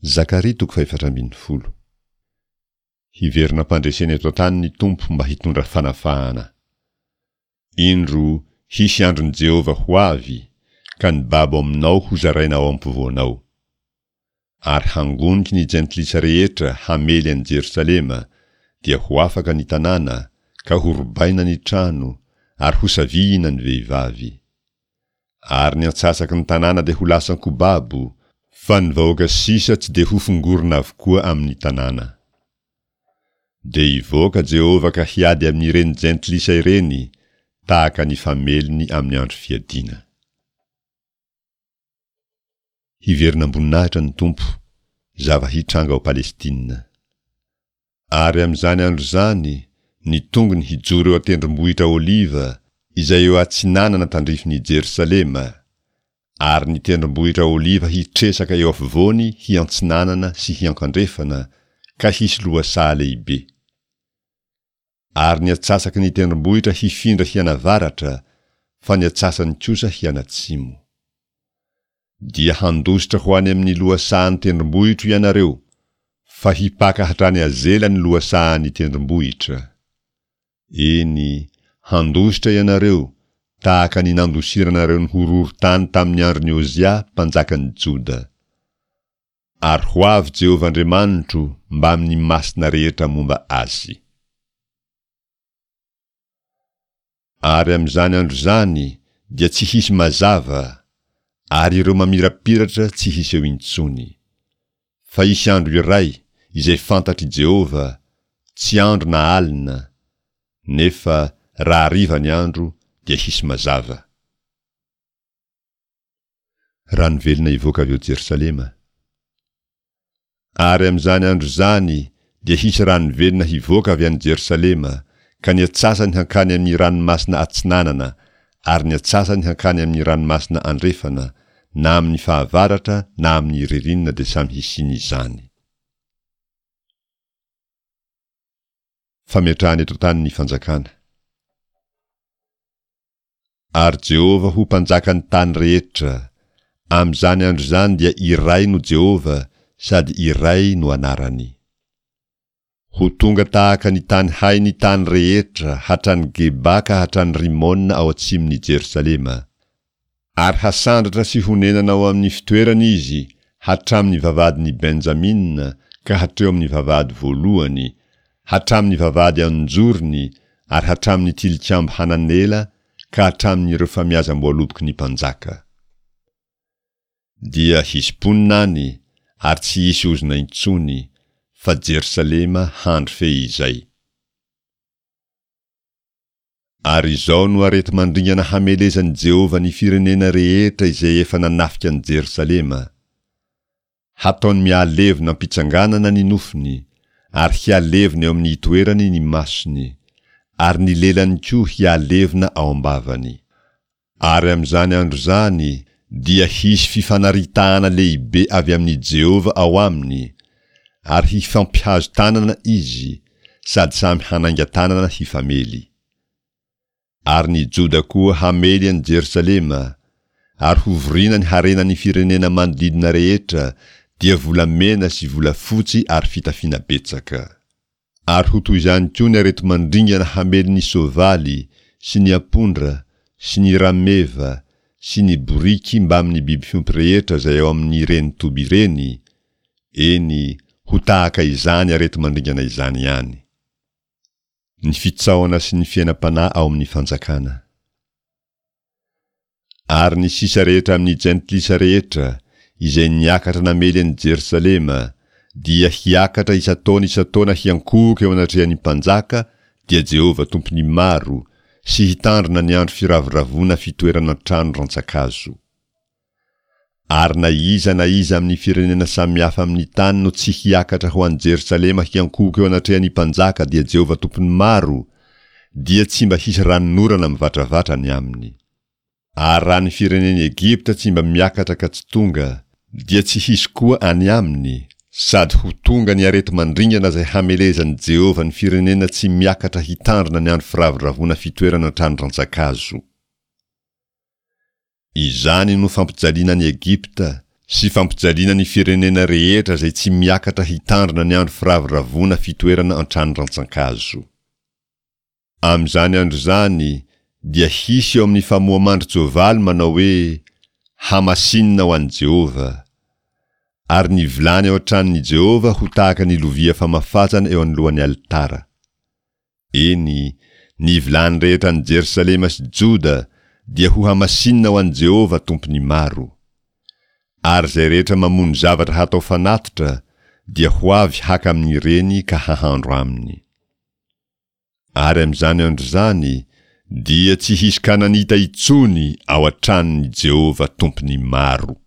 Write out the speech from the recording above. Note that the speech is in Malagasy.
Zakaria toko fahefatra ambinifolo. Hiverina am-pandresena eto an-tany ny Tompo mba hitondra fanafahana. Indro, hisy andron'i Jehovah ho avy, ka ny babo aminao hozaraina ao ampovoanao. Ary hangoniky ny jentilisa rehetra hamely an'i Jerosalema, dia ho afaka ny tanàna, ka horobaina ny trano, ary hosavihina ny vehivavy. Ary ny antsasaky ny tanàna dia ho lasan-ko babo, fa ny vahoaka sisa tsy dia hofongorina avokoa amin'ny tanàna. Dia hivoaka Jehovah ka hiady amin'ireny jentilisa ireny, tahaka ny fameliny amin'ny andro fiadiana. Hiverina am-boninahitra ny Tompo, zava-hitranga ao Palestina. Ary amin'izany andro izany, ny tongony hijoro eo an-tendrombohitra Oliva, izay eo atsinanana tandrifin'i Jerosalema, ary ny tendrombohitra Oliva hitresaka eo afovoany hiantsinanana sy hiankandrefana, ka hisy lohasaha lehibe. Ary ny atsasaky ny tendrombohitra hifindra hianavaratra, fa ny atsasany kosa hianatsimo. Dia handositra ho any amin'ny lohasahan'ny tendrombohitro ianareo, fa hipaka hatrany Azela ny lohasahan'ny tendrombohitra. Eny, handositra ianareo, tahaka ny nandosiranareo ny horohorontany tamin'ny andron'i Ozia mpanjakan'i Joda. Ary ho avy Jehovah Andriamanitro mbamin'ny masina rehetra momba azy. Ary amin'izany andro izany dia tsy hisy mazava, ary ireo mamirapiratra tsy hiseho intsony. Fa hisy andro iray izay fantatr'i Jehovah, tsy andro na alina, nefa raha hariva ny andro dia hisy mazava. Rano velona hivoaka avy ao Jerosalema. Ary amin'izany andro izany dia hisy rano velona hivoaka avy any Jerosalema, ka ny atsasany hankany amin'ny ranomasina atsinanana, ary ny atsasany hankany amin'ny ranomasina andrefana, na amin'ny fahavaratra na amin'ny ririnina dia samy hisian'izany. Fametrahana eto an-tany ny fanjakana. Ary Jehovah ho Mpanjakan'ny tany rehetra. Amin'izany andro izany dia iray no Jehovah sady iray no anarany. Ho tonga tahaka ny tany hay ny tany rehetra hatrany Geba ka hatrany Rimona ao atsimon'i Jerosalema. Ary hasandratra sy honenana ao amin'ny fitoerany izy hatramin'ny vavahadin'i Benjamina ka hatreo amin'ny vavahady voalohany, hatramin'ny vavahady an-jorony ary hatramin'ny tilikambo Hananela ka hatramin'ireo famiazam-boaloboky ny mpanjaka. Dia hisy mponina any ary tsy hisy ozona intsony, fa Jerosalema handry feizay. Ary izao no areti-mandringana hamelezan'i Jehovah ny firenena rehetra izay efa nanafika an'i Jerosalema, Hataony mihalevona am-pitsanganana ny nofony, ary hihalevona eo amin'ny itoerany ny masony, ary ny lelany koa hihalevona ao am-bavany. Ary amin'izany andro izany dia hisy fifanaritahana lehibe avy amin'i Jehovah ao aminy, ary hifampihazo tanana izy, sady samy hanainga tanana hifamely. Ary ny Joda koa hamely an'i Jerosalema, ary hovorina ny harenan'ny firenena manodidina rehetra, dia volamena sy volafotsy ary fitafiana betsaka. Ary ho toy izany koa ny areti-mandringana hamely ny soavaly sy ny ampondra sy ny rameva sy ny boriky mbamin'ny biby fiompy rehetra izay ao amin'ireny toby ireny, eny, ho tahaka izany areti-mandringana izany ihany. Ny fitsaohana sy ny fiainam-panahy ao amin'ny fanjakana. Ary ny sisa rehetra amin'ny jentilisa rehetra, izay niakatra namely an'i Jerosalema, dia hiakatra isan-taona isan-taona hiankohoka eo anatrehan'ny Mpanjaka, dia Jehovah Tompon'ny maro, sy hitandrina ny andro firavoravoana fitoerana an-trano rantsan-kazo. Ary na iza na iza amin'ny firenena samihafa amin'ny tany no tsy hiakatra ho any Jerosalema hiankohoka eo anatrehan'ny Mpanjaka dia Jehovah Tompon'ny maro, dia tsy mba hisy ranonorana mivatravatra ny aminy. Ary raha ny firenen'i Egypta tsy mba miakatra ka tsy tonga, dia tsy hisy koa any aminy, sady ho tonga ny areti-mandringana izay hamelezan'i Jehovah ny firenena tsy miakatra hitandrina ny andro firavoravoana fitoerana an-trano rantsan-kazo. Izany no fampijaliana an'i Egypta, sy fampijaliana ny firenena rehetra izay tsy miakatra hitandrina ny andro firavoravoana fitoerana an-trano rantsankazo. Amin'izany andro izany dia hisy eo amin'ny famoha-mandrin-tsoavaly manao hoe, Hamasinina ho an'i Jehovah. Ary ny vilany ao an-tranon'i Jehovah ho tahaka ny lovia famafazana eo anoloan'ny alitara. Eny, ny vilany rehetra any Jerosalema sy Joda dia hohamasinina ho an'i Jehovah Tompon'ny maro. Ary izay rehetra mamono zavatra hatao fanatitra dia ho avy haka amin'ireny ka hahandro aminy. Ary amin'izany andro izany dia tsy hisy Kananita intsony ao an-tranon'i Jehovah Tompon'ny maro.